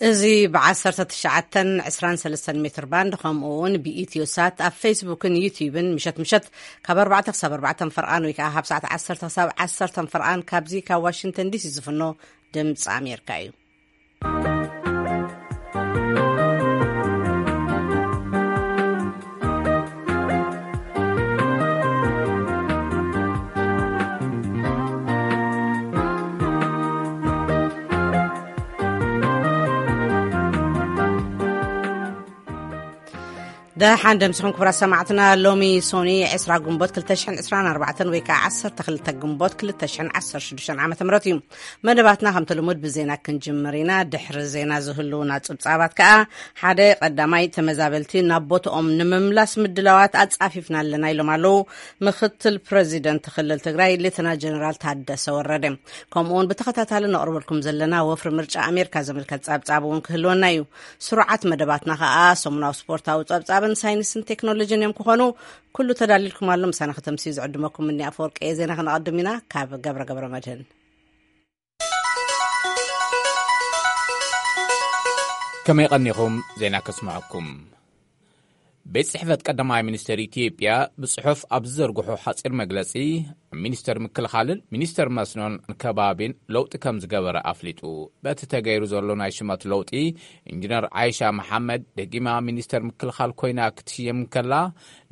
እዚ ብ1923 ሜትር ባንድ፣ ከምኡ እውን ብኢትዮ ሳት ኣብ ፌስቡክን ዩቲዩብን፣ ምሸት ምሸት ካብ ኣርባዕተ ክሳብ ኣርባዕተ ፈርቓን ወይ ከዓ ካብ ሰዓት ዓሰርተ ክሳብ ዓሰርተ ፈርቓን፣ ካብዚ ካብ ዋሽንግተን ዲሲ ዝፍኖ ድምፂ ኣሜሪካ እዩ። ደሓን ደምስኹም ክቡራት ሰማዕትና። ሎሚ ሶኒ ዕስራ ግንቦት ክልተ ሽሕን ዕስራን ኣርባዕተን ወይ ከዓ ዓሰርተ ክልተ ግንቦት ክልተ ሽሕን ዓሰርተ ሽዱሽተን ዓመተ ምህረት እዩ። መደባትና ከምቲ ልሙድ ብዜና ክንጅምር ኢና። ድሕሪ ዜና ዝህልውና ጽብጻባት ከዓ፣ ሓደ፣ ቀዳማይ፣ ተመዛበልቲ ናብ ቦትኦም ንምምላስ ምድላዋት ኣጻፊፍና ኣለና ኢሎም ኣለዉ ምክትል ፕረዚደንት ክልል ትግራይ ሌተና ጀነራል ታደሰ ወረደ። ከምኡ እውን ብተኸታታሊ ነቕርበልኩም ዘለና ወፍሪ ምርጫ ኣሜሪካ ዝምልከት ጸብጻብ እውን ክህልወና እዩ። ስሩዓት መደባትና ከዓ ሰሙናዊ ስፖርታዊ ጸብጻብን ሳይንስን ቴክኖሎጂን እዮም ክኾኑ። ኩሉ ተዳሊልኩም ኣሎ። ምሳና ከተምስዩ ዝዕድመኩም እኒ ኣፈወርቂ እየ። ዜና ክነቐድም ኢና። ካብ ገብረ ገብረ መድህን። ከመይ ቀኒኹም? ዜና ከስምዐኩም። ቤት ጽሕፈት ቀዳማይ ሚኒስትር ኢትዮጵያ ብጽሑፍ ኣብ ዝዘርግሖ ሓጺር መግለጺ፣ ሚኒስተር ምክልኻልን ሚኒስተር መስኖን ከባቢን ለውጢ ከም ዝገበረ ኣፍሊጡ። በቲ ተገይሩ ዘሎ ናይ ሽመት ለውጢ፣ ኢንጂነር ዓይሻ መሓመድ ደጊማ ሚኒስተር ምክልኻል ኮይና ክትሽየም እንከላ፣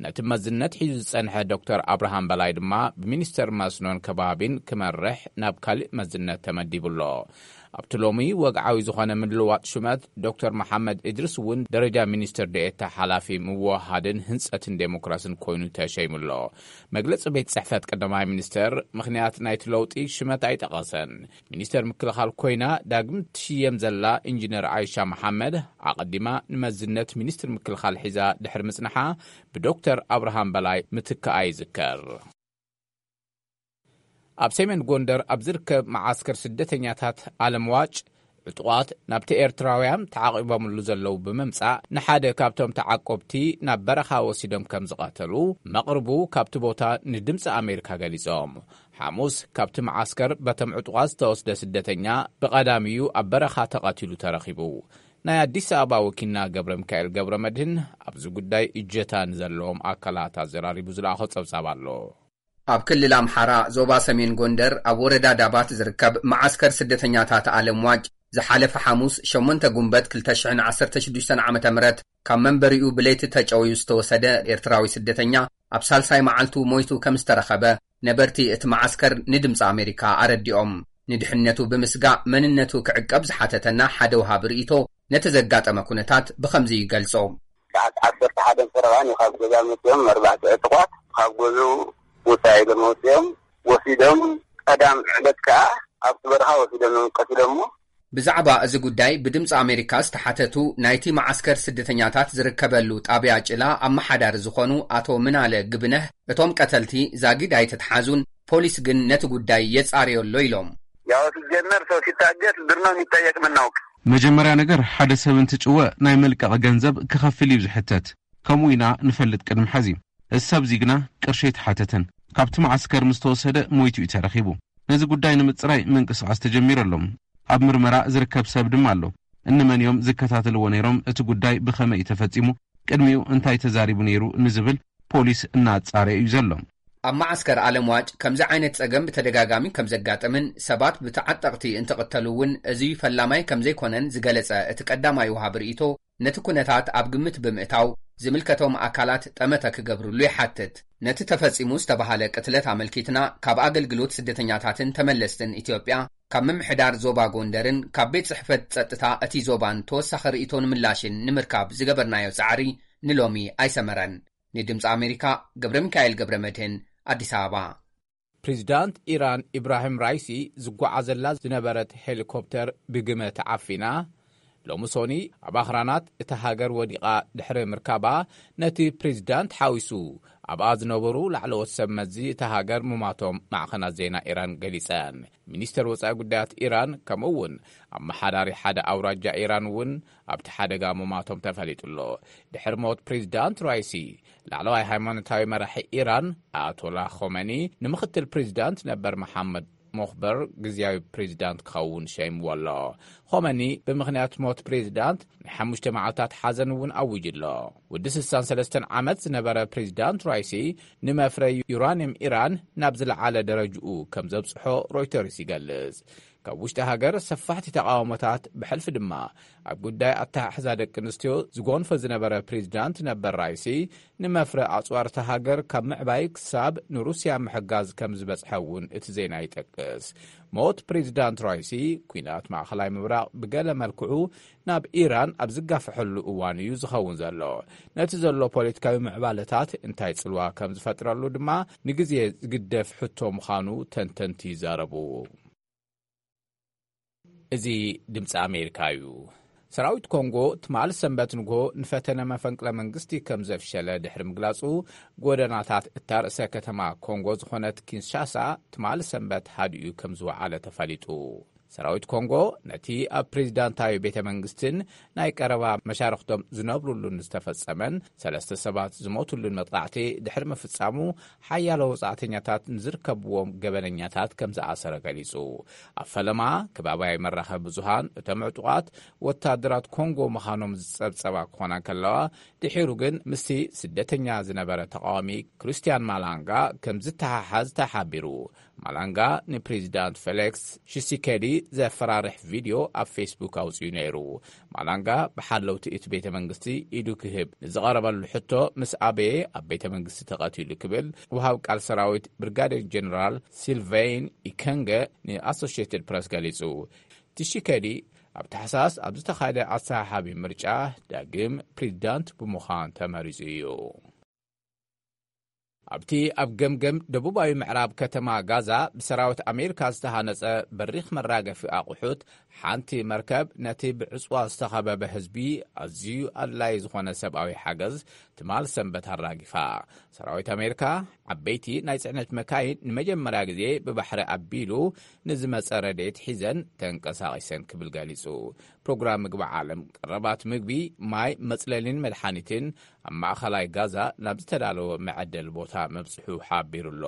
ነቲ መዝነት ሒዙ ዝጸንሐ ዶክተር ኣብርሃም በላይ ድማ ብሚኒስተር መስኖን ከባቢን ክመርሕ ናብ ካልእ መዝነት ተመዲቡ ኣሎ። ኣብቲ ሎሚ ወግዓዊ ዝኾነ ምልዋጥ ሽመት፣ ዶክተር መሓመድ እድሪስ እውን ደረጃ ሚኒስትር ዴኤታ ሓላፊ ምውህሃድን ህንጸትን ዴሞክራስን ኮይኑ ተሸይሙ ኣሎ። መግለጺ ቤት ጽሕፈት ቀዳማይ ሚኒስትር ምኽንያት ናይቲ ለውጢ ሽመት ኣይጠቐሰን። ሚኒስትር ምክልኻል ኮይና ዳግም ትሽየም ዘላ ኢንጂነር ዓይሻ መሓመድ፣ ኣቐዲማ ንመዝነት ሚኒስትር ምክልኻል ሒዛ ድሕሪ ምጽንሓ፣ ብዶክተር ኣብርሃም በላይ ምትካኣ ይዝከር። ኣብ ሰሜን ጎንደር ኣብ ዝርከብ መዓስከር ስደተኛታት ኣለምዋጭ፣ ዕጡቓት ናብቲ ኤርትራውያን ተዓቒቦምሉ ዘለዉ ብምምጻእ፣ ንሓደ ካብቶም ተዓቆብቲ ናብ በረኻ ወሲዶም ከም ዝቐተሉ መቕርቡ ካብቲ ቦታ ንድምጺ ኣሜሪካ ገሊጾም። ሓሙስ፣ ካብቲ መዓስከር በቶም ዕጡቓት ዝተወስደ ስደተኛ ብቐዳሚኡ ኣብ በረኻ ተቐቲሉ ተረኺቡ። ናይ ኣዲስ ኣበባ ወኪልና ገብረ ሚካኤል ገብረ መድህን ኣብዚ ጉዳይ እጀታ ንዘለዎም ኣካላት ኣዘራሪቡ ዝለኣኾ ጸብጻብ ኣሎ። ኣብ ክልል ኣምሓራ ዞባ ሰሜን ጎንደር ኣብ ወረዳ ዳባት ዝርከብ መዓስከር ስደተኛታት ኣለምዋጭ ዝሓለፈ ሓሙስ ሸሞንተ ጉንበት ክልተ ሽሕን ዓሰርተ ሽዱሽተን ዓመተ ምህረት ካብ መንበሪኡ ብለይቲ ተጨውዩ ዝተወሰደ ኤርትራዊ ስደተኛ ኣብ ሳልሳይ መዓልቱ ሞይቱ ከም ዝተረኸበ ነበርቲ እቲ መዓስከር ንድምፂ ኣሜሪካ ኣረዲኦም። ንድሕነቱ ብምስጋእ መንነቱ ክዕቀብ ዝሓተተና ሓደ ወሃቢ ርእይቶ ነቲ ዘጋጠመ ኩነታት ብኸምዚ ይገልጾ። ሰዓት ዓሰርተ ሓደን ፈረቓን እዩ ካብ ገዛ መፅኦም ኣርባዕተ ዕጡቓት ካብ ገዝኡ ውፃእ ኢሎም ኣውፅኦም ወሲዶም፣ ቀዳም ዕለት ከዓ ኣብቲ በረኻ ወሲዶም ቀቲሎሞ። ብዛዕባ እዚ ጉዳይ ብድምፂ ኣሜሪካ ዝተሓተቱ ናይቲ መዓስከር ስደተኛታት ዝርከበሉ ጣብያ ጭላ ኣመሓዳሪ ዝኾኑ ኣቶ ምናለ ግብነህ፣ እቶም ቀተልቲ ዛጊድ ኣይተትሓዙን፣ ፖሊስ ግን ነቲ ጉዳይ የጻርዮ ኣሎ ኢሎም። ያው ሲጀመር ሰው ሲታገት ብር ነው የሚጠየቅ የምናውቅ። መጀመርያ ነገር ሓደ ሰብ እንትጭወ ናይ መልቀቕ ገንዘብ ክኸፍል እዩ ዝሕተት። ከምኡ ኢና ንፈልጥ ቅድሚ ሐዚ። እዚ ሰብ እዚ ግና ቅርሺ ኣይተሓተተን። ካብቲ መዓስከር ምስ ተወሰደ ሞይቱ እዩ ተረኺቡ። ነዚ ጉዳይ ንምጽራይ ምንቅስቓስ ተጀሚሩ ኣሎ። ኣብ ምርመራ ዝርከብ ሰብ ድማ ኣሎ። እንመን እዮም ዝከታተልዎ ነይሮም፣ እቲ ጉዳይ ብኸመይ እዩ ተፈጺሙ፣ ቅድሚኡ እንታይ ተዛሪቡ ነይሩ ንዝብል ፖሊስ እናጻረየ እዩ ዘሎ። ኣብ መዓስከር ኣለምዋጭ ከምዚ ዓይነት ጸገም ብተደጋጋሚ ከም ዘጋጥምን ሰባት ብተዓጠቕቲ እንትቕተሉ እውን እዚ ፈላማይ ከም ዘይኮነን ዝገለጸ እቲ ቀዳማይ ወሃቢ ርእይቶ፣ ነቲ ኩነታት ኣብ ግምት ብምእታው ዝምልከቶም ኣካላት ጠመተ ክገብርሉ ይሓትት። ነቲ ተፈጺሙ ዝተባሃለ ቅትለት ኣመልኪትና ካብ ኣገልግሎት ስደተኛታትን ተመለስትን ኢትዮጵያ፣ ካብ ምምሕዳር ዞባ ጎንደርን ካብ ቤት ጽሕፈት ጸጥታ እቲ ዞባን ተወሳኺ ርእይቶን ምላሽን ንምርካብ ዝገበርናዮ ጻዕሪ ንሎሚ ኣይሰመረን። ንድምፂ ኣሜሪካ ገብረ ሚካኤል ገብረ መድህን፣ ኣዲስ ኣበባ። ፕሬዚዳንት ኢራን ኢብራሂም ራይሲ ዝጓዓዘላ ዝነበረት ሄሊኮፕተር ብግመ ተዓፊና፣ ሎሚ ሶኒ ኣብ ኣኽራናት እታ ሃገር ወዲቓ ድሕሪ ምርካባ፣ ነቲ ፕሬዚዳንት ሓዊሱ ኣብኣ ዝነበሩ ላዕለዎት ሰብ መዚ እታ ሃገር ምማቶም ማዕኸናት ዜና ኢራን ገሊጸን። ሚኒስተር ወጻኢ ጉዳያት ኢራን፣ ከምኡ እውን ኣመሓዳሪ ሓደ ኣውራጃ ኢራን እውን ኣብቲ ሓደጋ ምማቶም ተፈሊጡ ኣሎ። ድሕሪ ሞት ፕሬዚዳንት ራይሲ፣ ላዕለዋይ ሃይማኖታዊ መራሒ ኢራን ኣያቶላ ኾመኒ ንምኽትል ፕሬዚዳንት ነበር መሓመድ ሞኽበር ግዝያዊ ፕሬዚዳንት ክኸውን ሸይምዎ ኣሎ። ኾመኒ ብምኽንያት ሞት ፕሬዚዳንት ናይ ሓሙሽተ መዓልታት ሓዘን እውን ኣዊጁ ኣሎ። ወዲ ስሳን ሰለስተን ዓመት ዝነበረ ፕሬዚዳንት ራይሲ፣ ንመፍረ ዩራኒየም ኢራን ናብ ዝለዓለ ደረጅኡ ከም ዘብጽሖ ሮይተርስ ይገልጽ። ካብ ውሽጢ ሃገር ሰፋሕቲ ተቃውሞታት፣ ብሕልፊ ድማ ኣብ ጉዳይ ኣተሓሕዛ ደቂ ኣንስትዮ ዝጎንፈ ዝነበረ ፕሬዚዳንት ነበር ራይሲ፣ ንመፍረ ኣጽዋር እታ ሃገር ካብ ምዕባይ ክሳብ ንሩስያ ምሕጋዝ ከም ዝበጽሐ እውን እቲ ዜና ይጠቅስ። ሞት ፕሬዚዳንት ራይሲ፣ ኲናት ማእኸላይ ምብራቕ ብገለ መልክዑ ናብ ኢራን ኣብ ዝጋፍሐሉ እዋን እዩ ዝኸውን ዘሎ። ነቲ ዘሎ ፖለቲካዊ ምዕባለታት እንታይ ጽልዋ ከም ዝፈጥረሉ ድማ ንግዜ ዝግደፍ ሕቶ ምዃኑ ተንተንቲ ይዛረቡ። እዚ ድምፂ ኣሜሪካ እዩ። ሰራዊት ኮንጎ ትማሊ ሰንበት ንግሆ ንፈተነ መፈንቅለ መንግስቲ ከም ዘፍሸለ ድሕሪ ምግላጹ፣ ጎደናታት እታ ርእሰ ከተማ ኮንጎ ዝኾነት ኪንሻሳ ትማሊ ሰንበት ሃዲኡ ከም ዝወዓለ ተፈሊጡ። ሰራዊት ኮንጎ ነቲ ኣብ ፕሬዚዳንታዊ ቤተ መንግስትን ናይ ቀረባ መሻርኽቶም ዝነብሩሉን ዝተፈጸመን ሰለስተ ሰባት ዝሞቱሉን መጥቃዕቲ ድሕሪ ምፍጻሙ፣ ሓያሎ ወጻእተኛታት ንዝርከብዎም ገበነኛታት ከም ዝኣሰረ ገሊጹ። ኣብ ፈለማ ከባብያዊ መራኸቢ ብዙሃን፣ እቶም ዕጡቓት ወታደራት ኮንጎ ምዃኖም ዝጸብጸባ ክኾና ከለዋ፣ ድሒሩ ግን ምስቲ ስደተኛ ዝነበረ ተቃዋሚ ክርስቲያን ማላንጋ ከም ዝተሓሓዝ ተሓቢሩ። ማላንጋ ንፕሬዚዳንት ፌሊክስ ሺሲኬዲ ዘፈራርሕ ቪድዮ ኣብ ፌስቡክ ኣውጺኡ ነይሩ። ማላንጋ ብሓለውቲ እቲ ቤተ መንግስቲ ኢዱ ክህብ ንዝቐረበሉ ሕቶ ምስ ኣበየ ኣብ ቤተ መንግስቲ ተቐቲሉ ክብል ወሃብ ቃል ሰራዊት ብሪጋዴር ጀነራል ሲልቬይን ኢከንገ ንኣሶሺየትድ ፕረስ ገሊጹ። ሺሲኬዲ ኣብ ታሕሳስ ኣብ ዝተኻየደ ኣሰሓሓቢ ምርጫ ዳግም ፕሬዚዳንት ብምዃን ተመሪጹ እዩ። ኣብቲ ኣብ ገምገም ደቡባዊ ምዕራብ ከተማ ጋዛ ብሰራዊት ኣሜሪካ ዝተሃነጸ በሪኽ መራገፊ ኣቑሑት፣ ሓንቲ መርከብ ነቲ ብዕጽዋ ዝተኸበበ ህዝቢ ኣዝዩ ኣድላዪ ዝኾነ ሰብኣዊ ሓገዝ ትማል ሰንበት ኣራጊፋ። ሰራዊት ኣሜሪካ ዓበይቲ ናይ ጽዕነት መካይን ንመጀመርያ ግዜ ብባሕሪ ኣቢሉ ንዝመጸ ረድኤት ሒዘን ተንቀሳቒሰን ክብል ገሊጹ። ፕሮግራም ምግቢ ዓለም፣ ቀረባት ምግቢ፣ ማይ፣ መጽለሊን መድሓኒትን ኣብ ማእኸላይ ጋዛ ናብ ዝተዳለወ መዐደሊ ቦታ መብጽሑ ሓቢሩ ኣሎ።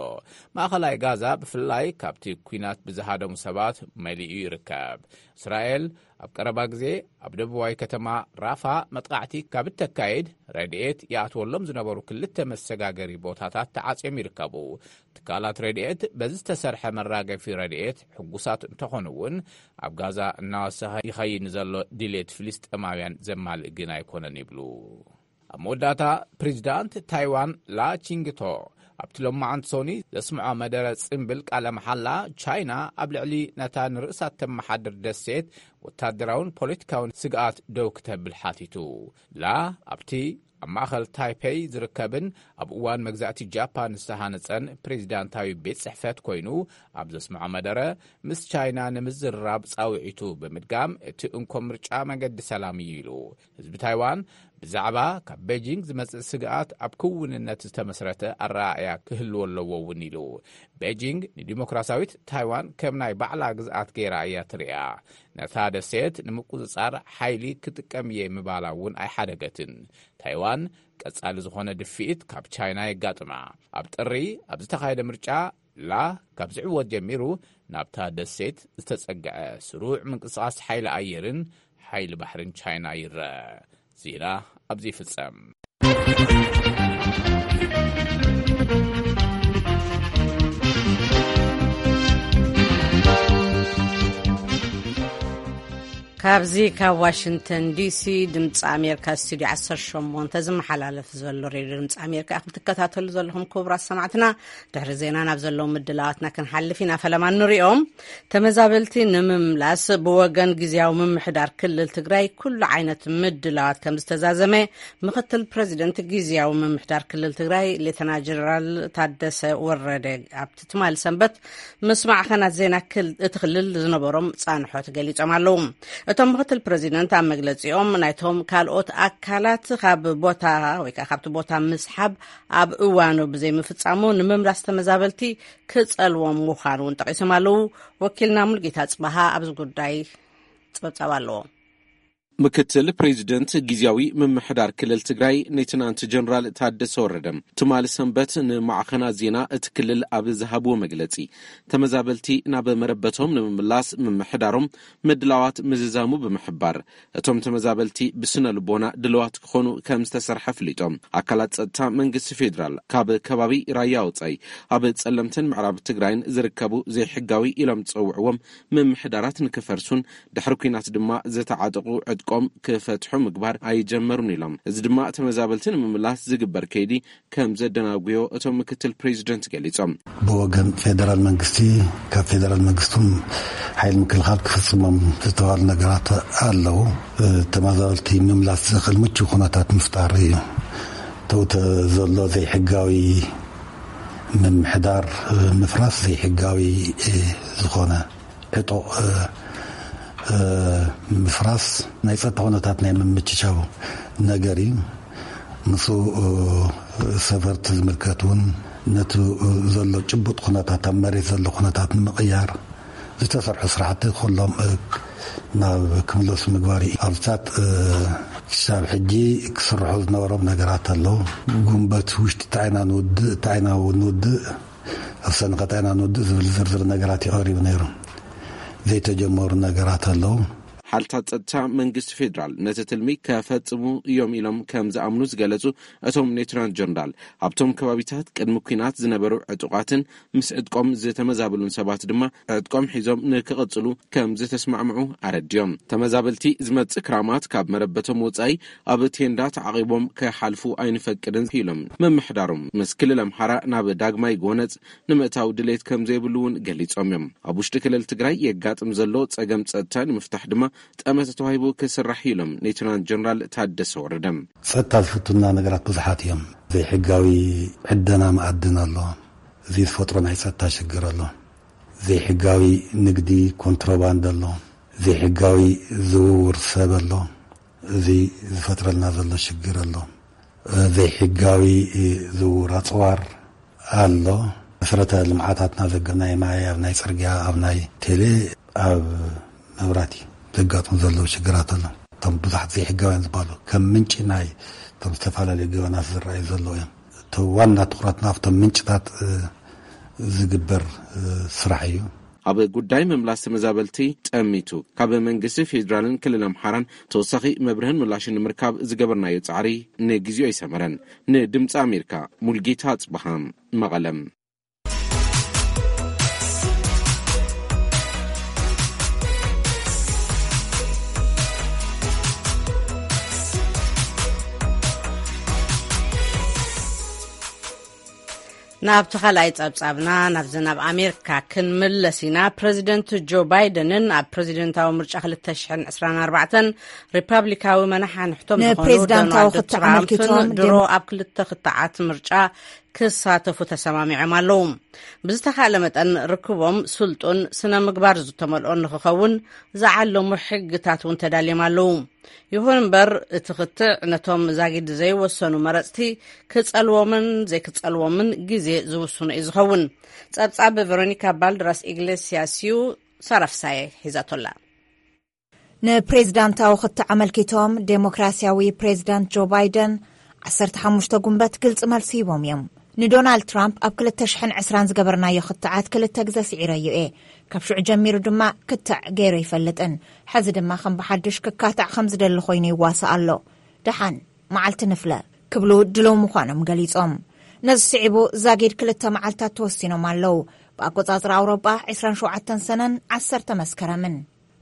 ማእኸላይ ጋዛ ብፍላይ ካብቲ ኲናት ብዝሃደሙ ሰባት መሊኡ ይርከብ። እስራኤል ኣብ ቀረባ ግዜ ኣብ ደቡባዊ ከተማ ራፋ መጥቃዕቲ ካብ እተካይድ፣ ረድኤት ይኣትወሎም ዝነበሩ ክልተ መሰጋገሪ ቦታታት ተዓጽዮም ይርከቡ። ትካላት ረድኤት በዚ ዝተሰርሐ መራገፊ ረድኤት ሕጉሳት እንተኾኑ እውን፣ ኣብ ጋዛ እናወሰኸ ይኸይድ ንዘሎ ድሌት ፍልስጤማውያን ዘማልእ ግን ኣይኮነን ይብሉ። ኣብ መወዳእታ፣ ፕሬዚዳንት ታይዋን ላ ቺንግቶ ኣብቲ ሎማዓንቲ ሶኒ ዘስምዖ መደረ ጽምብል ቃለ መሓላ፣ ቻይና ኣብ ልዕሊ ነታ ንርእሳ እተመሓድር ደሴት ወታደራውን ፖለቲካውን ስግኣት ደው ክተብል ሓቲቱ። ላ ኣብቲ ኣብ ማእኸል ታይፔይ ዝርከብን ኣብ እዋን መግዛእቲ ጃፓን ዝተሃነጸን ፕሬዚዳንታዊ ቤት ጽሕፈት ኮይኑ ኣብ ዘስምዖ መደረ፣ ምስ ቻይና ንምዝርራብ ጻውዒቱ ብምድጋም፣ እቲ እንኮ ምርጫ መገዲ ሰላም እዩ ኢሉ። ህዝቢ ታይዋን ብዛዕባ ካብ ቤጂንግ ዝመጽእ ስግኣት ኣብ ክውንነት ዝተመስረተ ኣረኣእያ ክህልዎ ኣለዎ እውን ኢሉ። ቤጂንግ ንዲሞክራሲያዊት ታይዋን ከም ናይ ባዕላ ግዝኣት ገይራ እያ ትርእያ። ነታ ደሴት ንምቁጽጻር ሓይሊ ክጥቀም እየ ምባላ እውን ኣይሓደገትን። ታይዋን ቀጻሊ ዝኾነ ድፍኢት ካብ ቻይና የጋጥማ። ኣብ ጥሪ ኣብ ዝተኻየደ ምርጫ፣ ላ ካብ ዝዕወት ጀሚሩ ናብታ ደሴት ዝተጸግዐ ስሩዕ ምንቅስቓስ ሓይሊ ኣየርን ሓይሊ ባሕርን ቻይና ይረአ። ዜና ኣብዚ ይፍጸም። ካብዚ ካብ ዋሽንግተን ዲሲ ድምፂ ኣሜሪካ ስቱዲዮ ዓሰርተ ሸሞንተ ዝመሓላለፍ ዘሎ ሬድዮ ድምፂ ኣሜሪካ ኢኹም ትከታተሉ ዘለኹም። ክቡራት ሰማዕትና፣ ድሕሪ ዜና ናብ ዘለዉ ምድላዋትና ክንሓልፍ ኢና። ፈለማ ንሪኦም። ተመዛበልቲ ንምምላስ ብወገን ግዝያዊ ምምሕዳር ክልል ትግራይ ኩሉ ዓይነት ምድላዋት ከም ዝተዛዘመ ምኽትል ፕረዚደንት ግዝያዊ ምምሕዳር ክልል ትግራይ ሌተና ጀነራል ታደሰ ወረደ ኣብቲ ትማሊ ሰንበት ምስ ማዕኸናት ዜና ክል-፣ እቲ ክልል ዝነበሮም ጻንሖት ገሊጾም ኣለዉ። እቶም ምክትል ፕረዚደንት ኣብ መግለጺኦም፣ ናይቶም ካልኦት ኣካላት ካብ ቦታ ወይ ከዓ ካብቲ ቦታ ምስሓብ ኣብ እዋኑ ብዘይምፍጻሙ ንምምላስ ተመዛበልቲ ክጸልዎም ምዃኑ እውን ጠቒሶም ኣለዉ። ወኪልና ሙልጌታ ጽባሃ ኣብዚ ጉዳይ ጸብጻብ ኣለዎ። ምክትል ፕሬዚደንት ግዝያዊ ምምሕዳር ክልል ትግራይ ሌተናንት ጀነራል ታደሰ ወረደ ትማሊ ሰንበት ንማዕኸናት ዜና እቲ ክልል ኣብ ዝሃብዎ መግለጺ፣ ተመዛበልቲ ናብ መረበቶም ንምምላስ ምምሕዳሮም ምድላዋት ምዝዛሙ ብምሕባር፣ እቶም ተመዛበልቲ ብስነ ልቦና ድልዋት ክኾኑ ከም ዝተሰርሐ ኣፍሊጦም። ኣካላት ጸጥታ መንግስቲ ፌዴራል ካብ ከባቢ ራያ ወጻኢ ኣብ ጸለምትን ምዕራብ ትግራይን ዝርከቡ ዘይሕጋዊ ኢሎም ዝጸውዕዎም ምምሕዳራት ንክፈርሱን ድሕሪ ኲናት ድማ ዝተዓጠቑ ዕጥቆም ክፈትሑ ምግባር ኣይጀመሩን ኢሎም። እዚ ድማ ተመዛበልቲ ንምምላስ ዝግበር ከይዲ ከም ዘደናጉዮ እቶም ምክትል ፕሬዚደንት ገሊጾም። ብወገን ፌደራል መንግስቲ፣ ካብ ፌደራል መንግስቱም ሓይል ምክልኻል ክፍጽሞም ዝተባሉ ነገራት ኣለዉ። ተመዛበልቲ ምምላስ ዝኽእል ምቹ ኩነታት ምፍጣር እዩ። ተውተ ዘሎ ዘይሕጋዊ ምምሕዳር ምፍራስ፣ ዘይሕጋዊ ዝኾነ ዕጡቕ ምፍራስ ናይ ጸጥታ ኩነታት ናይ ምምችቻው ነገር እዩ። ምስ ሰፈርቲ ዝምልከት እውን ነቲ ዘሎ ጭቡጥ ኩነታት፣ ኣብ መሬት ዘሎ ኩነታት ንምቕያር ዝተሰርሑ ስራሕቲ ኩሎም ናብ ክምለሱ ምግባር እዩ። ኣብታት ክሳብ ሕጂ ክስርሑ ዝነበሮም ነገራት ኣለዉ። ጉንበት ውሽጢ እንታይ ኢና ንውድእ፣ እንታይ ኢና ንውድእ፣ ኣብ ሰንቀ እንታይ ኢና ንውድእ ዝብል ዝርዝር ነገራት እዩ ቀሪቡ ነይሩ። ዘይተጀመሩ ነገራት ኣለዉ። ሓልታት ጸጥታ መንግስቲ ፌዴራል ነቲ ትልሚ ከፈጽሙ እዮም ኢሎም ከም ዝኣምኑ ዝገለጹ እቶም ሌተናንት ጀነራል፣ ኣብቶም ከባቢታት ቅድሚ ኲናት ዝነበሩ ዕጡቓትን ምስ ዕጥቆም ዝተመዛበሉን ሰባት ድማ ዕጥቆም ሒዞም ንክቕጽሉ ከም ዝተስማዕምዑ ኣረድዮም። ተመዛበልቲ ዝመጽእ ክራማት ካብ መረበቶም ወጻኢ ኣብ ቴንዳ ተዓቒቦም ክሓልፉ ኣይንፈቅድን ኢሎም። ምምሕዳሮም ምስ ክልል ኣምሓራ ናብ ዳግማይ ጎነጽ ንምእታው ድሌት ከም ዘይብሉ እውን ገሊጾም እዮም። ኣብ ውሽጢ ክልል ትግራይ የጋጥም ዘሎ ጸገም ጸጥታ ንምፍታሕ ድማ ጠመተ ተዋሂቡ ክስራሕ እዩ ኢሎም ሌተናንት ጀነራል ታደሰ ወረደ። ጸጥታ ዝፍትና ነገራት ብዙሓት እዮም። ዘይሕጋዊ ዕደና መኣድን ኣሎ። እዚ ዝፈጥሮ ናይ ጸጥታ ሽግር ኣሎ። ዘይሕጋዊ ንግዲ፣ ኮንትሮባንድ ኣሎ። ዘይሕጋዊ ዝውውር ሰብ ኣሎ። እዚ ዝፈጥረልና ዘሎ ሽግር ኣሎ። ዘይሕጋዊ ዝውውር ኣጽዋር ኣሎ። መሰረተ ልምዓታትና ዘገ-፣ ናይ ማይ፣ ኣብ ናይ ጽርግያ፣ ኣብ ናይ ቴሌ፣ ኣብ መብራቲ ዘጋጥሙ ዘለዉ ሽግራት ኣሎ። እቶም ብዙሓት ዘይሕጋውያን ዝበሃሉ ከም ምንጪ ናይ እቶም ዝተፈላለዩ ገበናት ዝረኣዩ ዘለዉ እዮም። እቲ ዋና ትኹረትና ኣብቶም ምንጭታት፣ እ፣ ዝግበር፣ እ፣ ስራሕ እዩ። ኣብ ጉዳይ ምምላስ ተመዛበልቲ ጠሚቱ ካብ መንግስቲ ፌዴራልን ክልል ኣምሓራን ተወሳኺ መብርህን ምላሽን ንምርካብ ዝገበርናዮ ጻዕሪ ንግዜኡ ኣይሰመረን። ንድምፂ ኣሜሪካ ሙልጌታ ኣጽብሃ መቐለም። ናብቲ ካልኣይ ጸብጻብና፣ ናብዚ ናብ ኣሜሪካ ክንምለስ ኢና። ፕረዚደንት ጆ ባይደንን ኣብ ፕረዚደንታዊ ምርጫ ክልተ ሽሕን ዕስራን ኣርባዕተን ሪፓብሊካዊ መናሓንሕቶም ዝኾኑ ንፕሬዚዳንታዊ ዶናልድ ክትዕ ትራምፕን ኣመልኪቶም ድሮ ኣብ ክልተ ክትዓት ምርጫ ክሳተፉ ተሰማሚዖም ኣለዉ። ብዝተኻእለ መጠን ርክቦም ስልጡን ስነ ምግባር ዝተመልኦን ንኽኸውን ዝዓለሙ ሕግታት እውን ተዳልዮም ኣለዉ። ይኹን እምበር፣ እቲ ክትዕ ነቶም ዛጊድ ዘይወሰኑ መረጽቲ ክጸልዎምን ዘይክጸልዎምን ግዜ ዝውስኖ እዩ ዝኸውን። ጸብጻብ ቨሮኒካ ባልድራስ ኢግሌሲያስ እዩ። ሳራ ፍሳየ ሒዛቶላ። ንፕሬዚዳንታዊ ክትዕ ኣመልኪቶም ዴሞክራሲያዊ ፕሬዚዳንት ጆ ባይደን ዓሰርተ ሓሙሽተ ጉንበት ግልፂ መልሲ ሂቦም እዮም። ንዶናልድ ትራምፕ ኣብ ክልተ ሽሕን ዕስራን ዝገበርናዮ ክትዓት ክልተ ግዘ ስዒረዮ እየ። ካብ ሽዑ ጀሚሩ ድማ ክትዕ ገይረ ይፈልጥን፣ ሕዚ ድማ ከም ብሓድሽ ክካታዕ ከም ዝደሊ ኮይኑ ይዋሳእ ኣሎ። ደሓን መዓልቲ ንፍለ ክብሉ ድለው ምዃኖም ገሊጾም። ነዚ ስዒቡ ዛጊድ ክልተ መዓልታት ተወሲኖም ኣለዉ። ብኣቆጻጽራ ኣውሮጳ ዕስራን ሸውዓተን ሰነን ዓሰርተ መስከረምን።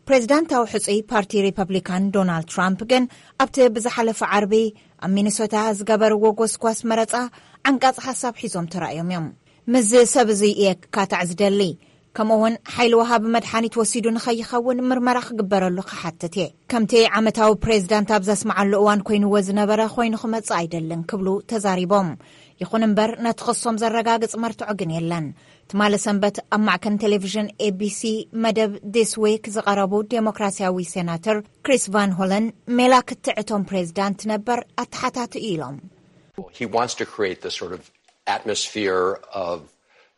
ፕሬዚዳንታዊ ሕጹይ ፓርቲ ሪፐብሊካን ዶናልድ ትራምፕ ግን ኣብቲ ብዝሓለፈ ዓርቢ ኣብ ሚኒሶታ ዝገበርዎ ጎስጓስ መረጻ ዓንቃጺ ሓሳብ ሒዞም ተራእዮም እዮም። ምስዚ ሰብ እዚ እየ ክካታዕ ዝደሊ፣ ከምኡ እውን ሓይሊ ወሃቢ መድሓኒት ወሲዱ ንኸይኸውን ምርመራ ክግበረሉ ክሓትት እየ። ከምቲ ዓመታዊ ፕሬዚዳንት ኣብ ዘስምዓሉ እዋን ኮይንዎ ዝነበረ ኮይኑ ክመጽእ ኣይደልን ክብሉ ተዛሪቦም። ይኹን እምበር ነቲ ክሶም ዘረጋግጽ መርትዖ ግን የለን። ትማሊ ሰንበት ኣብ ማዕከን ቴሌቪዥን ኤቢሲ መደብ ዲስ ዊክ ዝቐረቡ ዴሞክራሲያዊ ሴናተር ክሪስ ቫን ሆለን፣ ሜላ ክትዕ እቶም ፕሬዚዳንት ነበር ኣተሓታትኡ ኢሎም። He wants to create this sort of atmosphere of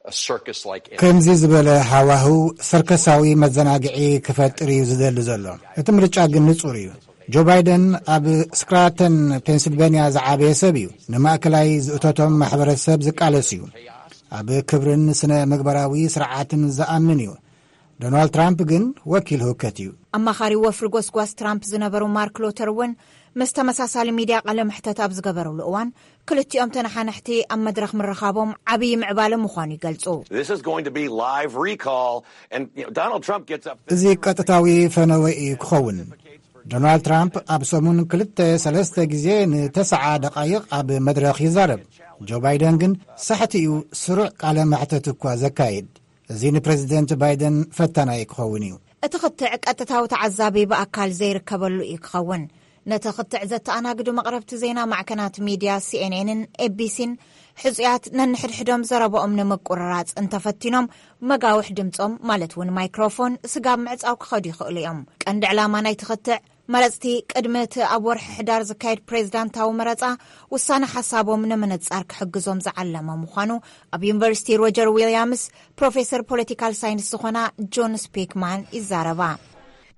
a circus like ከምዚ ዝበለ ሃዋህው ሰርከሳዊ መዘናግዒ ክፈጥር እዩ ዝደሊ ዘሎ። እቲ ምርጫ ግን ንጹር እዩ። ጆ ባይደን ኣብ ስክራተን ፔንስልቬንያ ዝዓበየ ሰብ እዩ። ንማእከላይ ዝእቶቶም ማሕበረሰብ ዝቃለስ እዩ። ኣብ ክብርን ስነ ምግባራዊ ስርዓትን ዝኣምን እዩ። ዶናልድ ትራምፕ ግን ወኪል ህውከት እዩ። ኣማኻሪ ወፍሪ ጎስጓስ ትራምፕ ዝነበሩ ማርክ ሎተር እውን ምስ ተመሳሳሊ ሚድያ ቃለ መሕተት ኣብ ዝገበሩሉ እዋን፣ ክልቲኦም ተነሓነሕቲ ኣብ መድረኽ ምርኻቦም ዓብዪ ምዕባለ ምዃኑ ይገልጹ። This is going to be live recall, and you know, Donald Trump gets up. እዚ ቀጥታዊ ፈነወ እዩ ክኸውን። ዶናልድ ትራምፕ ኣብ ሰሙን ክልተ ሰለስተ ግዜ ንተስዓ ደቓይቕ ኣብ መድረኽ ይዛረብ። ጆ ባይደን ግን ሳሕቲ እዩ፣ ስሩዕ ቃለ መሕተት እኳ ዘካይድ። እዚ ንፕረዚደንት ባይደን ፈታናይ ክኸውን እዩ። እቲ ክትዕ ቀጥታዊ ተዓዛቢ ብኣካል ዘይርከበሉ እዩ ክኸውን። ነቲ ክትዕ ዘተኣናግዱ መቕረብቲ ዜና ማዕከናት ሚድያ ሲኤንኤንን ኤቢሲን ሕጹያት ነንሕድሕዶም ዘረባኦም ንምቁርራጽ እንተፈቲኖም፣ መጋውሕ ድምጾም ማለት እውን ማይክሮፎን ስጋብ ምዕጻው ክኸዱ ይኽእሉ እዮም። ቀንዲ ዕላማ ናይቲ ክትዕ፣ መረጽቲ ቅድሚ እቲ ኣብ ወርሒ ሕዳር ዝካየድ ፕሬዚዳንታዊ መረጻ ውሳነ ሓሳቦም ንምንጻር ክሕግዞም ዝዓለመ ምዃኑ ኣብ ዩኒቨርሲቲ ሮጀር ዊልያምስ ፕሮፌሰር ፖለቲካል ሳይንስ ዝኾና ጆን ስፒክማን ይዛረባ።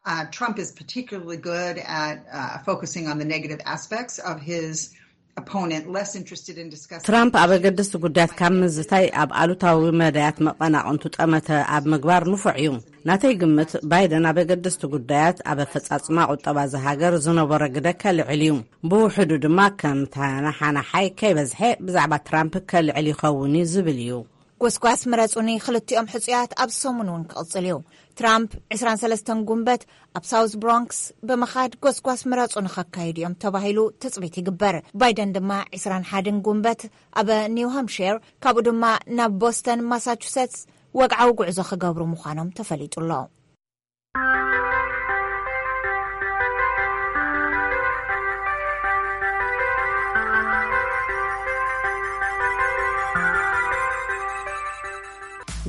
Uh, Trump is particularly good at uh, focusing on the negative aspects of his opponent, less interested in discussing. ትራምፕ ኣብ ኣገደስቲ ጉዳያት ካብ ምዝታይ፣ ኣብ ኣሉታዊ መዳያት መቐናቕንቱ ጠመተ ኣብ ምግባር ንፉዕ እዩ። ናተይ ግምት፣ ባይደን ኣብ ኣገደስቲ ጉዳያት፣ ኣብ ኣፈጻጽማ ቁጠባ እዛ ሃገር ዝነበሮ ግደ ከልዕል እዩ። ብውሕዱ ድማ ከም ተነሓናሓይ ከይበዝሐ ብዛዕባ ትራምፕ ከልዕል ይኸውን እዩ ዝብል እዩ። ጎስጓስ ምረጹኒ ክልቲኦም ሕጹያት ኣብ ሰሙን እውን ክቕጽል እዩ። ትራምፕ ዕስራን ሰለስተን ጉንበት ኣብ ሳውዝ ብሮንክስ ብምኻድ ጎስጓስ ምረጹኒ ከካይዱ እዮም ተባሂሉ ትጽቢት ይግበር። ባይደን ድማ ዕስራን ሓደን ጉንበት ኣብ ኒው ሃምፕሸር፣ ካብኡ ድማ ናብ ቦስተን ማሳቹሰትስ ወግዓዊ ጉዕዞ ክገብሩ ምዃኖም ተፈሊጡ ኣሎ።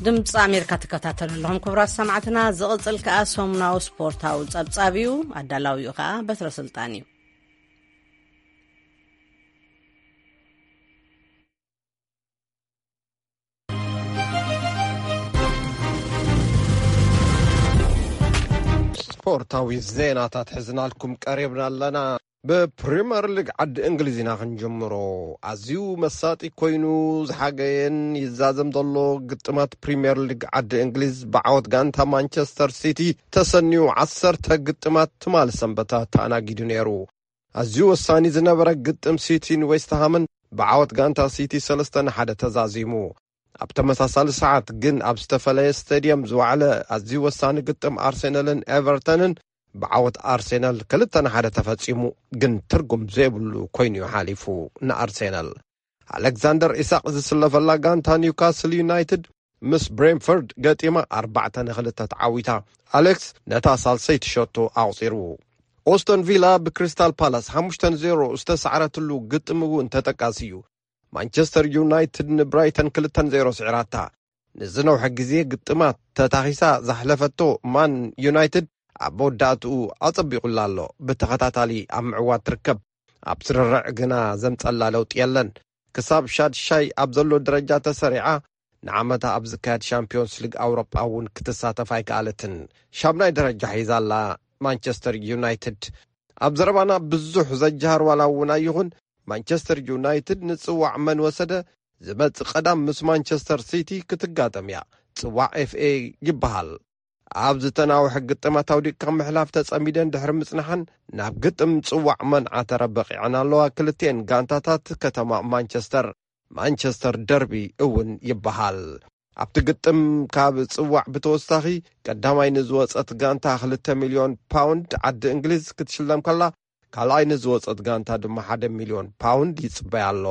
ድምፂ ኣሜሪካ ትከታተሉ ኣለኹም ክቡራት ሰማዕትና። ዝቕፅል ከኣ ሰሙናዊ ስፖርታዊ ፀብፃብ እዩ። ኣዳላዊኡ ከኣ በትረ ስልጣን እዩ። ስፖርታዊ ዜናታት ሒዝናልኩም ቀሪብና ኣለና። ብፕሪምየር ሊግ ዓዲ እንግሊዝ ኢና ክንጅምሮ። ኣዝዩ መሳጢ ኮይኑ ዝሓገየን ይዛዘም ዘሎ ግጥማት ፕሪምየር ሊግ ዓዲ እንግሊዝ ብዓወት ጋንታ ማንቸስተር ሲቲ ተሰንዩ ዓሰርተ ግጥማት ትማሊ ሰንበታ ተኣናጊዱ ነይሩ። ኣዝዩ ወሳኒ ዝነበረ ግጥም ሲቲን ዌስትሃምን ብዓወት ጋንታ ሲቲ ሰለስተ ንሓደ ተዛዚሙ። ኣብ ተመሳሳሊ ሰዓት ግን ኣብ ዝተፈለየ ስቴድየም ዝወዓለ ኣዝዩ ወሳኒ ግጥም ኣርሴናልን ኤቨርተንን ብዓወት ኣርሴናል ክልተ ንሓደ ተፈጺሙ፣ ግን ትርጉም ዘይብሉ ኮይኑ'ዩ ሓሊፉ ንኣርሴናል። ኣሌክዛንደር ኢሳቕ ዝስለፈላ ጋንታ ኒውካስል ዩናይትድ ምስ ብሬንፈርድ ገጢማ ኣርባዕተ ንኽልተ ተዓዊታ። ኣሌክስ ነታ ሳልሰይቲ ሸቶ ኣቑጺሩ። ኦስተን ቪላ ብክሪስታል ፓላስ ሓሙሽተ ንዜሮ ዝተሳዕረትሉ ግጥም እውን ተጠቃሲ እዩ። ማንቸስተር ዩናይትድ ንብራይተን ክልተ ንዜሮ ስዒራታ። ንዝነውሐ ግዜ ግጥማት ተታኺሳ ዘሕለፈቶ ማን ዩናይትድ ኣብ መወዳእትኡ ኣጸቢቑላ ኣሎ። ብተኸታታሊ ኣብ ምዕዋት ትርከብ። ኣብ ስርርዕ ግና ዘምጸላ ለውጢ የለን። ክሳብ ሻድሻይ ኣብ ዘሎ ደረጃ ተሰሪዓ፣ ንዓመታ ኣብ ዝካየድ ሻምፒዮንስ ሊግ ኣውሮጳ እውን ክትሳተፍ ኣይከኣለትን። ሻምናይ ደረጃ ሒዛ ኣላ ማንቸስተር ዩናይትድ። ኣብ ዘረባና ብዙሕ ዘጀሃር ዋላ እውን ኣይኹን፣ ማንቸስተር ዩናይትድ ንጽዋዕ መን ወሰደ ዝመጽእ ቀዳም ምስ ማንቸስተር ሲቲ ክትጋጠም እያ። ጽዋዕ ኤፍኤ ይበሃል። ኣብ ዝተናውሐ ግጥማት ኣውዲቕካ ምሕላፍ ተጸሚደን ድሕሪ ምጽናሐን ናብ ግጥም ጽዋዕ መን ዓተረ በቒዐን ኣለዋ። ክልቲኤን ጋንታታት ከተማ ማንቸስተር፣ ማንቸስተር ደርቢ እውን ይበሃል። ኣብቲ ግጥም ካብ ጽዋዕ ብተወሳኺ ቀዳማይ ንዝወጸት ጋንታ ክልተ ሚልዮን ፓውንድ ዓዲ እንግሊዝ ክትሽለም ከላ፣ ካልኣይ ንዝወጸት ጋንታ ድማ ሓደ ሚልዮን ፓውንድ ይጽበያ ኣሎ።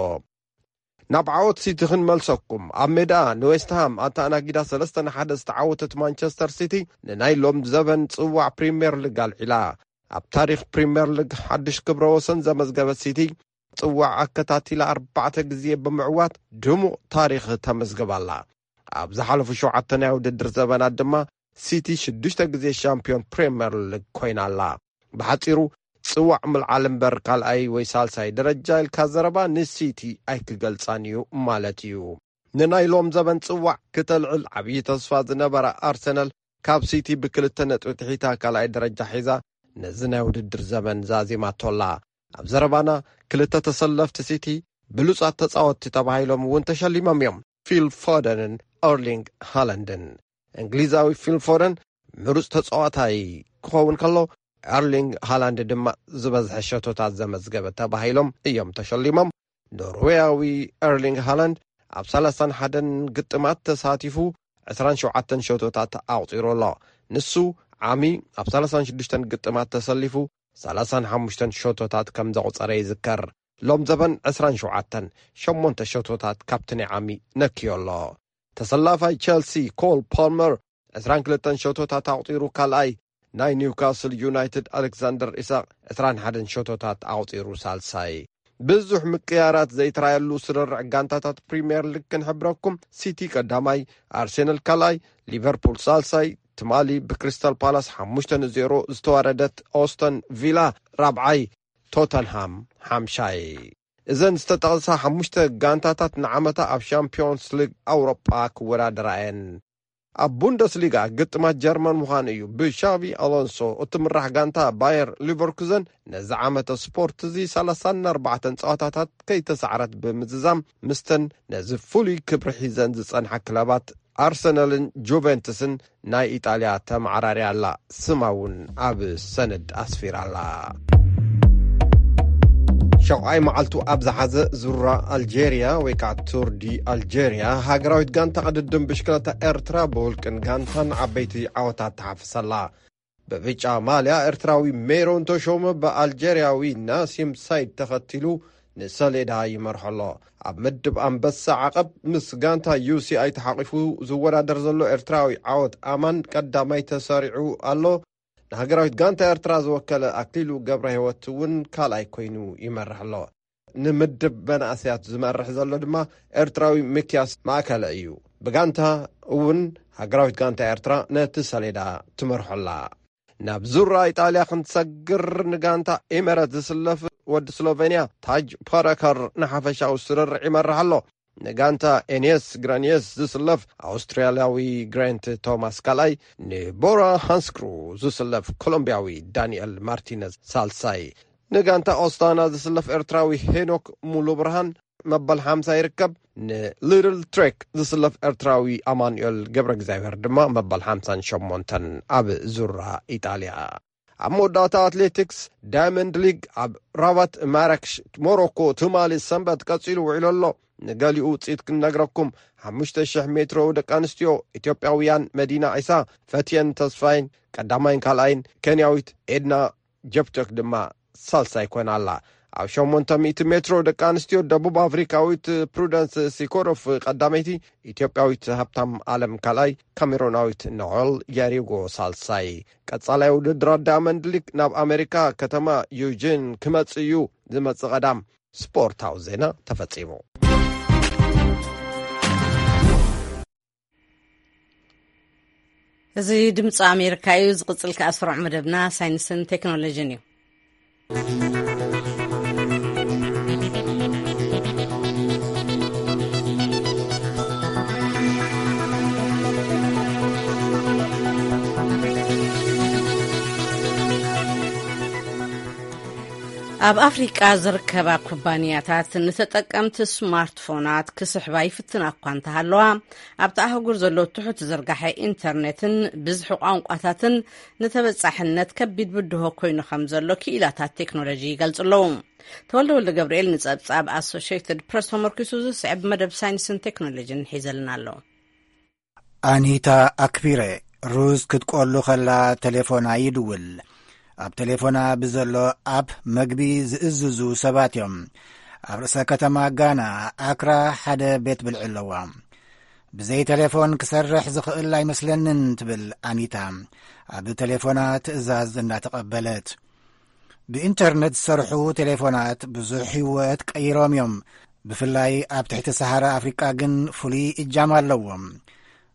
ናብ ዓወት ሲቲ ክንመልሰኩም። ኣብ ሜዳ ንዌስትሃም ኣተኣናጊዳ ሰለስተ ንሓደ ዝተዓወተት ማንቸስተር ሲቲ ንናይ ሎም ዘበን ጽዋዕ ፕሪምየር ሊግ ኣልዒላ። ኣብ ታሪኽ ፕሪምየር ሊግ ሓድሽ ክብረ ወሰን ዘመዝገበት ሲቲ ጽዋዕ ኣከታቲላ ኣርባዕተ ግዜ ብምዕዋት ድሙቕ ታሪኽ ተመዝግብ ኣላ። ኣብ ዝሓለፉ ሸውዓተ ናይ ውድድር ዘበናት ድማ ሲቲ ሽዱሽተ ግዜ ሻምፒዮን ፕሪምየር ሊግ ኮይና ኣላ። ብሓጺሩ ጽዋዕ ምልዓል እምበር ካልኣይ ወይ ሳልሳይ ደረጃ ኢልካ ዘረባ ንሲቲ ኣይክገልጻን እዩ ማለት እዩ። ንናይ ሎም ዘበን ጽዋዕ ክተልዕል ዓብዪ ተስፋ ዝነበራ ኣርሰናል ካብ ሲቲ ብክልተ ነጥቢ ትሒታ ካልኣይ ደረጃ ሒዛ ነዚ ናይ ውድድር ዘበን ዛዚማቶላ። ኣብ ዘረባና ክልተ ተሰለፍቲ ሲቲ ብሉጻት ተጻወትቲ ተባሂሎም እውን ተሸሊሞም እዮም። ፊል ፎደንን ኤርሊንግ ሃላንድን። እንግሊዛዊ ፊል ፎደን ምሩጽ ተጻዋታይ ክኸውን ከሎ፣ ኤርሊንግ ሃላንድ ድማ ዝበዝሐ ሸቶታት ዘመዝገበ ተባሂሎም እዮም ተሸሊሞም። ኖርዌያዊ ኤርሊንግ ሃላንድ ኣብ ሰላሳን ሓደን ግጥማት ተሳቲፉ ዕስራን ሸውዓተን ሸቶታት ኣቑጺሩ ኣሎ። ንሱ ዓሚ ኣብ ሰላሳን ሽዱሽተን ግጥማት ተሰሊፉ ሰላሳን ሓሙሽተን ሸቶታት ከም ዘቑጸረ ይዝከር። ሎም ዘበን ዕስራን ሸውዓተን፣ ሸሞንተ ሸቶታት ካብቲ ናይ ዓሚ ነክዮ ኣሎ። ተሰላፋይ ቸልሲ ኮል ፓልመር ዕስራን ክልተን ሸቶታት ኣቑጺሩ ካልኣይ፣ ናይ ኒውካስል ዩናይትድ ኣሌክሳንደር ኢሳቅ ዕስራን ሓደን ሸቶታት ኣቑጺሩ ሳልሳይ። ብዙሕ ምቅያራት ዘይተራየሉ ስርርዕ ጋንታታት ፕሪምየር ሊግ ክንሕብረኩም፣ ሲቲ ቀዳማይ፣ ኣርሴናል ካልኣይ፣ ሊቨርፑል ሳልሳይ፣ ትማሊ ብክሪስታል ፓላስ ሓሙሽተ ንዜሮ ዝተዋረደት ኦስተን ቪላ ራብዓይ፣ ቶተንሃም ሓምሻይ። እዘን ዝተጠቕሳ ሓሙሽተ ጋንታታት ንዓመታ ኣብ ሻምፒዮንስ ሊግ ኣውሮጳ ክወዳደራ እየን። ኣብ ቡንደስሊጋ ግጥማት ጀርመን ምዃኑ እዩ። ብሻቪ ኣሎንሶ እትምራሕ ጋንታ ባየር ሊቨርኩዘን ነዚ ዓመተ ስፖርት እዚ ሰላሳን ኣርባዕተን ጸዋታታት ከይተሳዕረት ብምዝዛም፣ ምስተን ነዚ ፍሉይ ክብሪ ሒዘን ዝጸንሓ ክለባት ኣርሰናልን ጁቬንቱስን ናይ ኢጣልያ ተመዓራርያ ኣላ። ስማ እውን ኣብ ሰነድ ኣስፊራ ኣላ። ሸውዓይ መዓልቱ ኣብ ዝሓዘ ዙራ ኣልጀርያ ወይ ከዓ ቱር ዲ ኣልጀርያ፣ ሃገራዊት ጋንታ ቅድድም ብሽክለታ ኤርትራ ብውልቅን ጋንታን ዓበይቲ ዓወታት ተሓፍሰላ። ብብጫ ማልያ ኤርትራዊ ሜሮን ተሾመ ብኣልጀርያዊ ናሲም ሳይድ ተኸቲሉ ንሰሌዳ ይመርሖ ኣሎ። ኣብ ምድብ ኣንበሳ ዓቐብ ምስ ጋንታ ዩ ሲ ኣይ ተሓቒፉ ዝወዳደር ዘሎ ኤርትራዊ ዓወት ኣማን ቀዳማይ ተሰሪዑ ኣሎ። ንሃገራዊት ጋንታ ኤርትራ ዝወከለ ኣክሊሉ ገብረ ህይወት እውን ካልኣይ ኮይኑ ይመርሕ ኣሎ። ንምድብ መናእሰያት ዝመርሕ ዘሎ ድማ ኤርትራዊ ሚክያስ ማእከለ እዩ። ብጋንታ እውን ሃገራዊት ጋንታ ኤርትራ ነቲ ሰሌዳ ትመርሖ ኣላ። ናብ ዙራ ኢጣልያ ክንሰግር፣ ንጋንታ ኤመረት ዝስለፍ ወዲ ስሎቬንያ ታጅ ፓረከር ንሓፈሻዊ ስርርዕ ይመርሕ ኣሎ። ንጋንታ ኤንየስ ግራንየስ ዝስለፍ ኣውስትራልያዊ ግራንት ቶማስ ካልኣይ፣ ንቦራ ሃንስክሩ ዝስለፍ ኮሎምቢያዊ ዳንኤል ማርቲነዝ ሳልሳይ፣ ንጋንታ ኦስታና ዝስለፍ ኤርትራዊ ሄኖክ ሙሉ ብርሃን መበል ሓምሳ ይርከብ። ንሊትል ትሬክ ዝስለፍ ኤርትራዊ ኣማኑኤል ገብረ እግዚኣብሔር ድማ መበል ሓምሳን ሸሞንተን ኣብ ዙራ ኢጣልያ። ኣብ መወዳእታ ኣትሌቲክስ ዳይመንድ ሊግ ኣብ ራባት ማራክሽ ሞሮኮ ትማሊ ሰንበት ቀጺሉ ውዒሉ ኣሎ። ንገሊኡ ውጽኢት ክንነግረኩም፣ ሓሙሽተ ሽሕ ሜትሮ ደቂ ኣንስትዮ ኢትዮጵያውያን መዲና ዒሳ፣ ፈትየን ተስፋይን ቀዳማይን ካልኣይን፣ ኬንያዊት ኤድና ጀፕቶክ ድማ ሳልሳይ ኮይና ኣላ። ኣብ ሸሞንተ ሚእቲ ሜትሮ ደቂ ኣንስትዮ ደቡብ ኣፍሪካዊት ፕሩደንስ ሲኮሮፍ ቀዳመይቲ፣ ኢትዮጵያዊት ሃብታም ኣለም ካልኣይ፣ ካሜሮናዊት ኖል ያሪጎ ሳልሳይ። ቀጻላይ ውድድራት ዳያመንድ ሊግ ናብ ኣሜሪካ ከተማ ዩጂን ክመጽእ እዩ። ዝመጽእ ቀዳም ስፖርታዊ ዜና ተፈጺሙ። እዚ ድምፂ ኣሜሪካ እዩ። ዝቕፅል ከኣ ስሩዕ መደብና ሳይንስን ቴክኖሎጂን እዩ። ኣብ ኣፍሪቃ ዝርከባ ኩባንያታት ንተጠቀምቲ ስማርትፎናት ክስሕባ ይፍትና እኳ እንተሃለዋ፣ ኣብቲ ኣህጉር ዘሎ ትሑት ዝርጋሐ ኢንተርኔትን ብዝሒ ቋንቋታትን ንተበጻሕነት ከቢድ ብድሆ ኮይኑ ከም ዘሎ ክኢላታት ቴክኖሎጂ ይገልጹ ኣለዉ። ተወልደ ወልደ ገብርኤል ንጸብጻብ ኣሶሽየትድ ፕረስ ተመርኪሱ ዝስዕብ መደብ ሳይንስን ቴክኖሎጂን ሒዘልና ኣሎ። ኣኒታ ኣክቢረ ሩዝ ክትቆሉ ከላ ተሌፎና ይድውል። ኣብ ተሌፎና ብዘሎ ኣፕ መግቢ ዝእዝዙ ሰባት እዮም። ኣብ ርእሰ ከተማ ጋና ኣክራ ሓደ ቤት ብልዒ ኣለዋ። ብዘይ ተሌፎን ክሰርሕ ዝኽእል ኣይመስለንን ትብል ኣኒታ። ኣብ ተሌፎና ትእዛዝ እናተቐበለት። ብኢንተርነት ዝሰርሑ ቴሌፎናት ብዙሕ ህይወት ቀይሮም እዮም። ብፍላይ ኣብ ትሕቲ ሰሃራ ኣፍሪቃ ግን ፍሉይ እጃም ኣለዎም።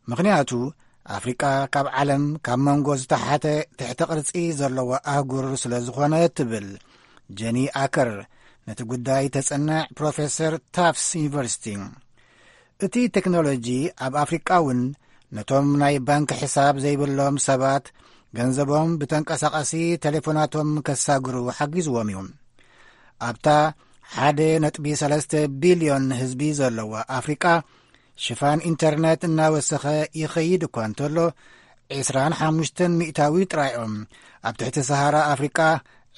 ምኽንያቱ ኣፍሪቃ ካብ ዓለም ካብ መንጎ ዝተሓተ ትሕተ ቅርጺ ዘለዎ ኣህጉር ስለ ዝኾነ ትብል ጀኒ ኣከር፣ ነቲ ጉዳይ ተጽንዕ ፕሮፌሰር ታፍስ ዩኒቨርሲቲ። እቲ ቴክኖሎጂ ኣብ ኣፍሪቃ እውን ነቶም ናይ ባንክ ሕሳብ ዘይብሎም ሰባት ገንዘቦም ብተንቀሳቓሲ ቴሌፎናቶም ከሳግሩ ሓጊዝዎም እዩ። ኣብታ ሓደ ነጥቢ ሰለስተ ቢልዮን ህዝቢ ዘለዋ ኣፍሪቃ ሽፋን ኢንተርነት እናወሰኸ ይኸይድ እኳ እንተሎ፣ ዕስራን ሓሙሽተን ሚእታዊ ጥራዮም ኣብ ትሕቲ ሰሃራ ኣፍሪቃ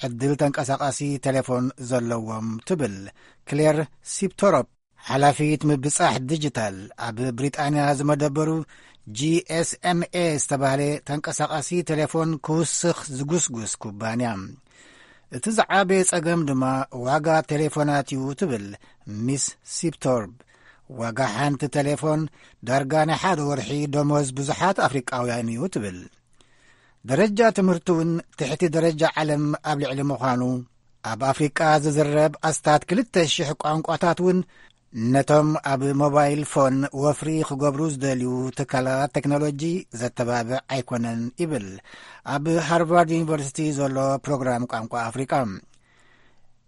ዕድል ተንቀሳቓሲ ቴሌፎን ዘለዎም ትብል ክሌር ሲፕቶሮፕ፣ ሓላፊት ምብጻሕ ዲጂታል ኣብ ብሪጣንያ ዝመደበሩ ጂ ኤስ ኤም ኤ ዝተባህለ ተንቀሳቓሲ ቴሌፎን ክውስኽ ዝጉስጉስ ኩባንያ። እቲ ዝዓበየ ጸገም ድማ ዋጋ ቴሌፎናት እዩ ትብል ሚስ ሲፕቶርብ። ዋጋ ሓንቲ ቴሌፎን ዳርጋ ናይ ሓደ ወርሒ ደሞዝ ብዙሓት ኣፍሪቃውያን እዩ ትብል። ደረጃ ትምህርቲ እውን ትሕቲ ደረጃ ዓለም ኣብ ልዕሊ ምዃኑ፣ ኣብ ኣፍሪቃ ዝዝረብ ኣስታት ክልተ ሽሕ ቋንቋታት እውን ነቶም ኣብ ሞባይል ፎን ወፍሪ ክገብሩ ዝደልዩ ትካላት ቴክኖሎጂ ዘተባብዕ ኣይኮነን ይብል ኣብ ሃርቫርድ ዩኒቨርሲቲ ዘሎ ፕሮግራም ቋንቋ ኣፍሪቃ።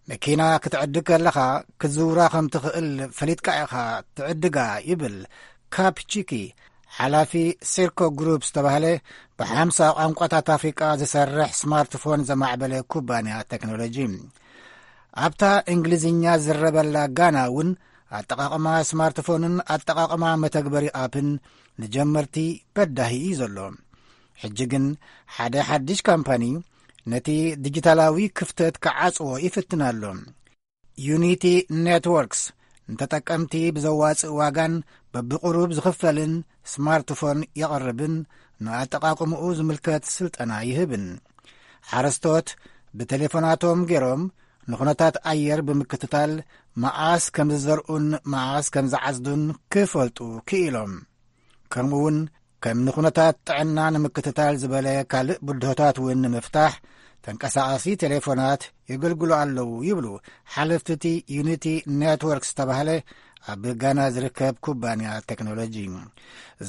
መኪና ክትዕድግ ከለኻ ክትዝውራ ከም ትኽእል ፈሊጥካ ኢኻ ትዕድጋ ይብል ካፕ ቺኪ፣ ሓላፊ ሴርኮ ግሩፕ ዝተባህለ ብሓምሳ ቋንቋታት ኣፍሪቃ ዝሰርሕ ስማርትፎን ዘማዕበለ ኩባንያ ቴክኖሎጂ። ኣብታ እንግሊዝኛ ዝረበላ ጋና እውን ኣጠቓቕማ ስማርትፎንን ኣጠቓቕማ መተግበሪ ኣፕን ንጀመርቲ በዳሂ እዩ ዘሎ። ሕጂ ግን ሓደ ሓድሽ ካምፓኒ ነቲ ዲጂታላዊ ክፍተት ክዓጽዎ ይፍትን ኣሎ። ዩኒቲ ኔትወርክስ ንተጠቀምቲ ብዘዋጽእ ዋጋን በብቕሩብ ዝኽፈልን ስማርትፎን የቕርብን ንኣጠቓቕምኡ ዝምልከት ስልጠና ይህብን። ሓረስቶት ብቴሌፎናቶም ገይሮም ንኹነታት ኣየር ብምክትታል መዓስ ከም ዝዘርኡን መዓስ ከም ዝዓጽዱን ክፈልጡ ክኢሎም። ከምኡ እውን ከም ንኹነታት ጥዕና ንምክትታል ዝበለ ካልእ ብድሆታት እውን ንምፍታሕ ተንቀሳቓሲ ቴሌፎናት የገልግሉ ኣለዉ ይብሉ ሓለፍቲ እቲ ዩኒቲ ኔትወርክ ዝተባህለ ኣብ ጋና ዝርከብ ኩባንያ ቴክኖሎጂ።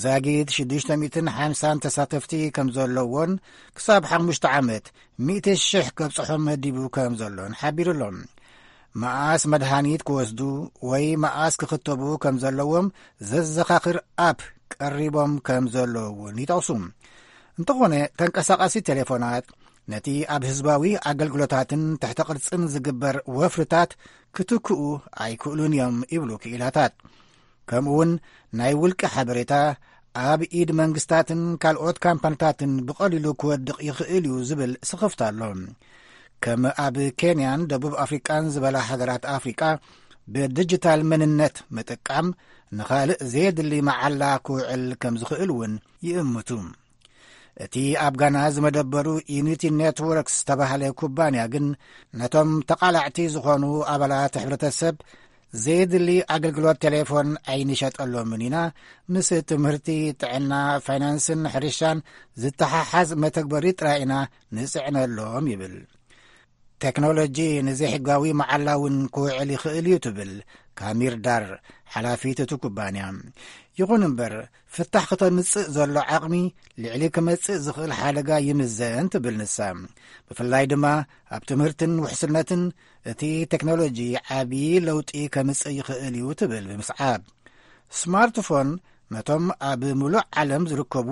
ዛጊት ሽዱሽተ ሚእትን ሓምሳን ተሳተፍቲ ከም ዘለዎን ክሳብ ሓሙሽተ ዓመት ሚእቲ ሽሕ ከብጽሖም መዲቡ ከም ዘሎን ሓቢሩ ኣሎ። መኣስ መድሃኒት ክወስዱ ወይ መኣስ ክኽተቡ ከም ዘለዎም ዘዘኻኽር ኣፕ ቀሪቦም ከም ዘለዉ እውን ይጠቕሱ። እንተኾነ ተንቀሳቓሲ ቴሌፎናት ነቲ ኣብ ህዝባዊ ኣገልግሎታትን ትሕተ ቅርጽን ዝግበር ወፍርታት ክትክኡ ኣይክእሉን እዮም ይብሉ ክኢላታት። ከምኡ እውን ናይ ውልቂ ሓበሬታ ኣብ ኢድ መንግስታትን ካልኦት ካምፓኒታትን ብቐሊሉ ክወድቕ ይኽእል እዩ ዝብል ስኽፍታ ኣሎ። ከም ኣብ ኬንያን ደቡብ ኣፍሪቃን ዝበላ ሃገራት ኣፍሪቃ ብዲጂታል መንነት ምጥቃም ንኻልእ ዘየድሊ መዓላ ክውዕል ከም ዝኽእል እውን ይእምቱ። እቲ ኣብ ጋና ዝመደበሩ ዩኒቲ ኔትወርክስ ዝተባህለ ኩባንያ ግን ነቶም ተቓላዕቲ ዝኾኑ ኣባላት ሕብረተሰብ ዘየድሊ ኣገልግሎት ቴሌፎን ኣይንሸጠሎምን ኢና፣ ምስ ትምህርቲ፣ ጥዕና፣ ፋይናንስን ሕርሻን ዝተሓሓዝ መተግበሪ ጥራይ ኢና ንጽዕነሎም ይብል። ቴክኖሎጂ ንዘይሕጋዊ መዓላ እውን ክውዕል ይኽእል እዩ ትብል ካሚር ዳር፣ ሓላፊት እቲ ኩባንያ። ይኹን እምበር ፍታሕ ክተምጽእ ዘሎ ዓቕሚ ልዕሊ ክመጽእ ዝኽእል ሓደጋ ይምዘን ትብል ንሳ። ብፍላይ ድማ ኣብ ትምህርትን ውሕስነትን እቲ ቴክኖሎጂ ዓቢ ለውጢ ከምጽእ ይኽእል እዩ ትብል ብምስዓብ። ስማርትፎን ነቶም ኣብ ምሉእ ዓለም ዝርከቡ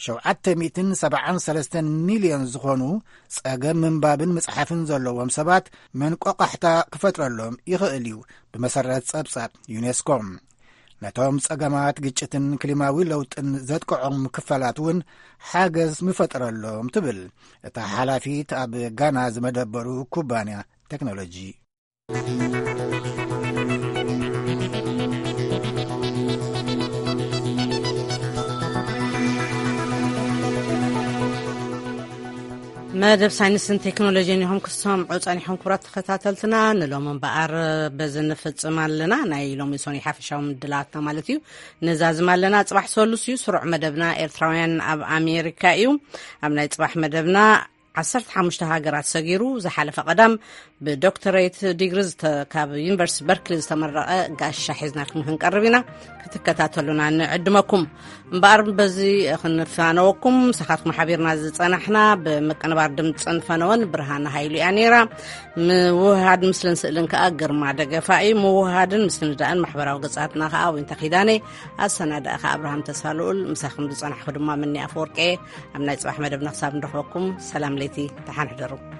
ሸውዓተ ሚእትን ሰብዓን ሰለስተን ሚልዮን ዝኾኑ ጸገም ምንባብን ምጽሓፍን ዘለዎም ሰባት መንቆቃሕታ ክፈጥረሎም ይኽእል እዩ፣ ብመሰረት ጸብጻብ ዩኔስኮ። ነቶም ጸገማት ግጭትን ክሊማዊ ለውጥን ዘጥቅዖም ክፋላት እውን ሓገዝ ምፈጠረሎም ትብል እታ ሓላፊት ኣብ ጋና ዝመደበሩ ኩባንያ ቴክኖሎጂ። መደብ ሳይንስን ቴክኖሎጂን ኢኹም ክሰምዑ ጸኒሖም። ክቡራት ተኸታተልትና፣ ንሎም እምበኣር በዚ ንፍጽም ኣለና። ናይ ሎሚ ሶኒ ሓፈሻዊ ምድላትና ማለት እዩ። ንዛዝም ኣለና። ጽባሕ ሰሉስ እዩ። ስሩዕ መደብና ኤርትራውያን ኣብ ኣሜሪካ እዩ። ኣብ ናይ ጽባሕ መደብና ዓሰርተ ሓሙሽተ ሃገራት ሰጊሩ ዝሓለፈ ቀዳም ብዶክተሬት ዲግሪ ዝተ-፣ ካብ ዩኒቨርሲቲ በርክሊ ዝተመረቐ ጋሻ ሒዝናልኩም ክንቀርብ ኢና። ክትከታተሉና ንዕድመኩም። እምበኣር በዚ ክንፋነወኩም፣ ምሳኻትኩም ሓቢርና ዝጸናሕና ብምቅንባር ድምጽን ፈነወን ብርሃን ሃይሉ እያ ነይራ። ምውህሃድ ምስልን ስእልን ከኣ ግርማ ደገፋ እዩ። ምውህሃድን ምስንዳእን ማሕበራዊ ገጻትና ከኣ ዊንታ ኪዳነ፣ ኣሰናዳእኻ ኣብርሃም ተስፋ ልኡል፣ ምሳኹም ዝጸናሕኩ ድማ ምኒ ኣፈወርቂ። ኣብ ናይ ጽባሕ መደብና ክሳብ ንረኽበኩም፣ ሰላም ለይቲ፣ ደሓን ሕደሩ።